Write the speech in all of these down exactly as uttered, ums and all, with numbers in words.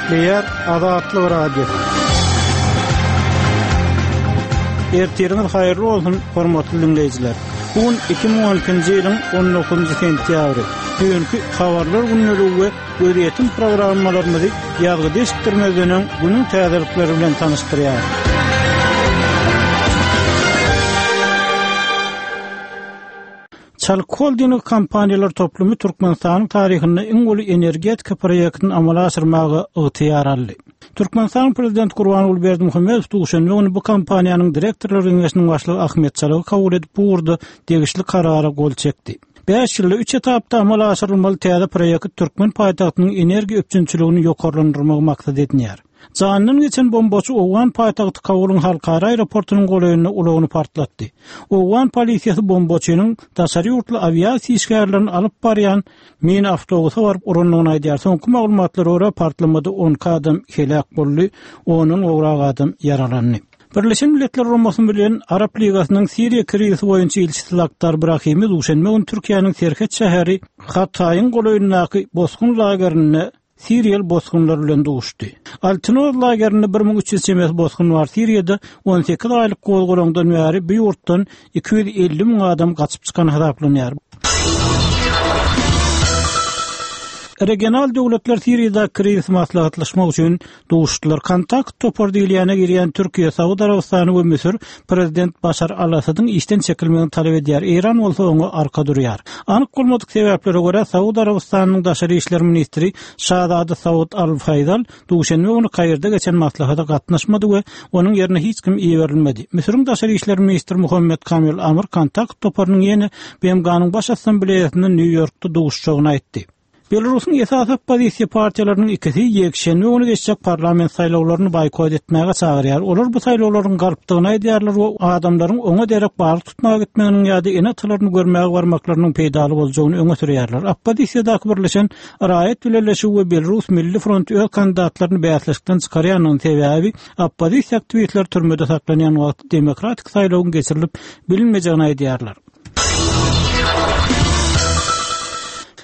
Gepleýär Azatlyk Radiosy. Ertiriňiz haýyrly bolsun, hormatly diňleýjiler. Bu gün iki müň on ikinji ýylyň on dokuzynjy sentýabry. Düýnki habarlar gündeligi we gözýetim programmalarymyzy ýazgyda eşitdirmezden öň günüň täzelikleri bilen tanyşdyrýar. Çalyk Holding kompaniýalar toplumy Türkmenistanyň taryhynda iň uly energetika proýektini amala aşyrmaga ygtyýar aldy. Türkmenistanyň Prezidenti Gurbanguly Berdimuhamedow duşenbe güni bu kompaniýanyň direktorlar geňeşiniň başlygy Ahmet Çalygy kabul edip, bu ugurda degişli karara gol çekdi. Bäş ýylda üç etapda amala aşyrylmaly täze proýekt türkmen paýtagtynyň energiýa üpjünçiligini ýokarlandyrmagy maksat edinýär. Janyndan geçen bombaçy Owgan paýtagty Kabulyň halkara aeroportunyň golaýynda ulagyny partlatdy. Owgan polisiýasy bombaçynyň daşary ýurtly awiasiýa işgärlerini alyp barýan mini awtobusa baryp urandygyny aýdýar. Soňky maglumatlara görä partlamada on iki adam heläk boldy, ondan gowrak adam ýaralandy. Birleşen Milletler Guramasy bilen Arap Ligasynyň Siriýa krizisi boýunça ilçisi Lakhdar Brahimi duşenbe güni Türkiýäniň serhet şäheri Hataýyň golaýyndaky bosgun lagerinde Siriýaly bosgunlar bilen duşdy. Altynoz lagerinde bir müň üç ýüz çemesi bosgun bar. Siriýada on sekiz aýlyk gozgalaňdan bäri bu ýurtdan iki ýüz elli müň adam gaçyp çykan hasaplanýar. Regional döwletler Siriýada krizis maslahatlaşmak üçin duşdular. Kontakt topar diýilýäne girýän Türkiýe, Saud Arabystany we Müsür prezident Başar al-Asadyň işden çekilmegini talap edýär. Eýran bolsa oňa arka durýar. Anyk bolmadyk sebäplere görä Saud Arabystanynyň daşary işler ministri Şazada Saud al-Faýzal duşenbe güni Kairde geçen maslahata gatnaşmady we onuň ýerine hiç kim iberilmedi. Müsüriň daşary işler ministri Muhammed Kamil Amr kontakt toparynyň ýene B M G-nyň baş assambleýasynda Nýu-Ýorkda duşuşjagyny aýtdy. Belarusyň esasy oppozisiýa partiýalarynyň ikisi ýekşenbe güni geçjek parlament saýlawlaryny boýkot etmäge çagyrýar. Olar bu saýlawlaryň galpdygyny aýdýarlar we adamlaryň oňa derek balyk tutmaga gitmeginiň ýa-da ene-atalaryny görmäge barmaklarynyň peýdaly boljagyny öňe sürýärler. Oppozisiýadaky birleşen Raýat Bileleşigi we Belarus Milli Fronty öz kandidatlaryny bäsleşikden çykarýanyň sebäbi oppozisiýa aktiwistler türmede saklanýan wagty demokratik saýlawyň geçirilip bilinmejegini aýdýarlar.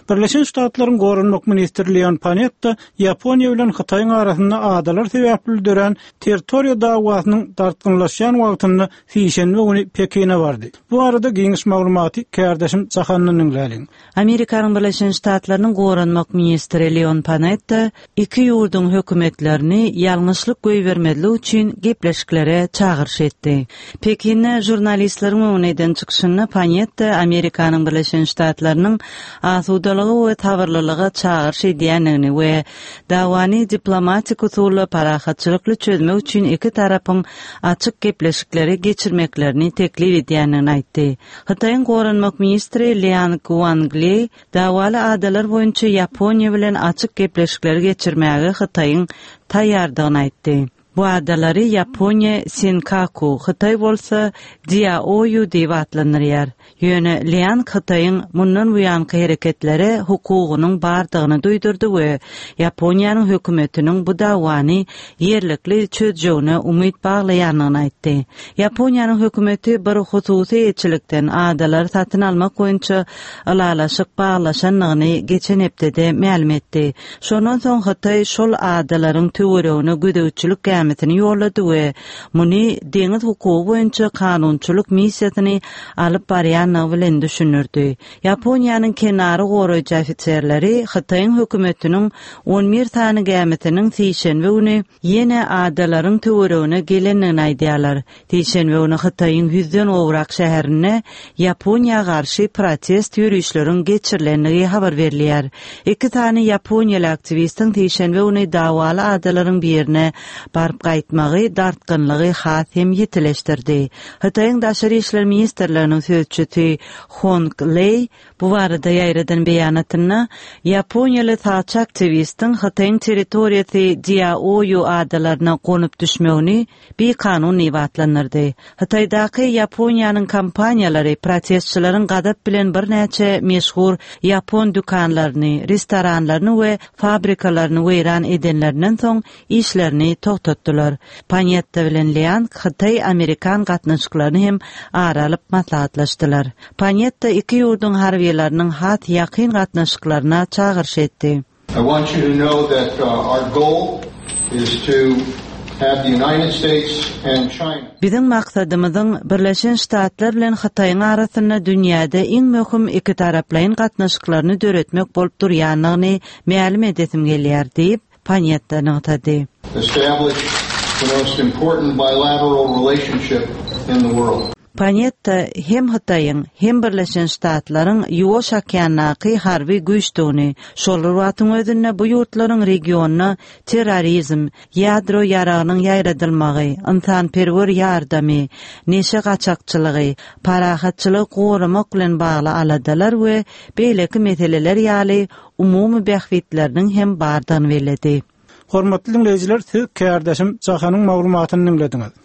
Birleşen Ştatlaryň Goranmak ministri Leon Panetta Ýaponiýa bilen Hytaýyň arasynda adalar sebäpli dörän territoriýa dawasynyň dartgynlaşýan wagtynda sişenbe güni Pekine bardy. Bu arada geniş maglumaty kärdeşim Jahandan diňläliň. Amerikanyň Birleşen Ştatlarynyň Goranmak ministri Leon Panetta iki ýurduň hökümetlerini ýalňyşlyk goýbermezlik üçin gepleşiklere çagyryş etdi. Pekinde žurnalistleriň öňüne eden çykyşynda Panetta Amerikanyň Birleşen Ştatlarynyň asudalygy we sabyrlylyga çagyryş edýändigini we dawany diplomatik usulla parahatçylykly çözmek üçin iki tarapyň açyk gepleşikleri geçirmeklerini teklip edýändigini aýtdy. Hytaýyň Goranmak ministri Liang Guangli dawaly adalar boýunça Ýaponiýa bilen açyk gepleşikleri geçirmäge Hytaýyň taýýardygyny aýtdy. Bu adalary Ýaponiýa Senkaku, Hytaý bolsa Diaoyu diýip atlandyrýar. Ýöne Liang Hytaýyň mundan buýanky hereketlere hukugynyň bardygyny duýdurdy we Ýaponiýanyň hökümetiniň bu dawany ýerlikli çözjegine umyt baglaýandygyny aýtdy. Ýaponiýanyň hökümeti bir hususy eýeçilikden adalary satyn almak boýunça ylalaşyk baglaşandygyny geçen hepdede mälim etdi. Şondan soň Hytaý şol adalaryň töweregine gözegçilik gämisini ýollady we muny deňiz hukugy boýunça kanunçylyk missiýasyny alyp barýandygy bilen düşündirdi. Ýaponiýanyň kenary goraýjy ofiserleri Hytaýyň hökümetiniň on bir sany gämisiniň sişenbe güni ýene adalaryň töweregine gelendigini aýdýarlar. Sişenbe güni Hytaýyň ýüzden gowrak şäherinde Ýaponiýa garşy protest ýörişleriň geçirilendigi habar berilýär. Iki sany ýaponiýaly aktiwistiň sişenbe güni dawaly adalaryň birine baryp gaýtmagy dartgynlygy has hem ýitileşdirdi. Hytaýyň Daşary işler ministrliginiň sözçüsi Hong Lei bu barada ýaýradan beýanatynda Ýaponiýaly sagçy aktiwistiň Hytaýyň territoriýasy Diaoyu adalaryna gonup düşmegini bikanun diýip atlandyrdy. Hytaýdaky Ýaponiýanyň kompaniýalary protestçileriň gazap bilen birnäçe meşhur ýapon dükanlaryny, restoranlaryny we fabrikalaryny weýran edenlerinden soň işlerini togtatdylar. Panetta bilen Liang Hytaý-Amerikan gatnaşyklaryny hem ara alyp maslahatlaşdylar. Panetta iki ýurduň harbiýalarynyň has ýakyn gatnaşyklaryna çagyryş etdi. I want you to know that, uh, our goal is to have the United States and China. Biziň maksadymyzyň Birleşen Ştatlar bilen Hytaýyň arasynda dünýäde iň möhüm iki taraplaýyn gatnaşyklaryny döretmek bolup durýanlygyny mälim edesim gelýär diýip, Panetta nygtady. Establish the most important bilateral relationship in the world. Panetta hem Hytaýyň, hem Birleşen Ştatlaryň Ýuwaş okeandaky harby güýçdügini, şol bir wagtyň özünde bu ýurtlaryň regionda terrorizm, ýadro ýaragynyň ýaýradylmagy, ynsanperwer ýardamy, neşe gaçakçylygy, parahatçylygy goramak bilen bagly aladalar we beýleki meseleler ýaly umumy bähbitleriniň hem bardygyny belledi. Hormatly dinleýjiler, siz kärdeşim Jahanyň maglumatyny dinlediňiz.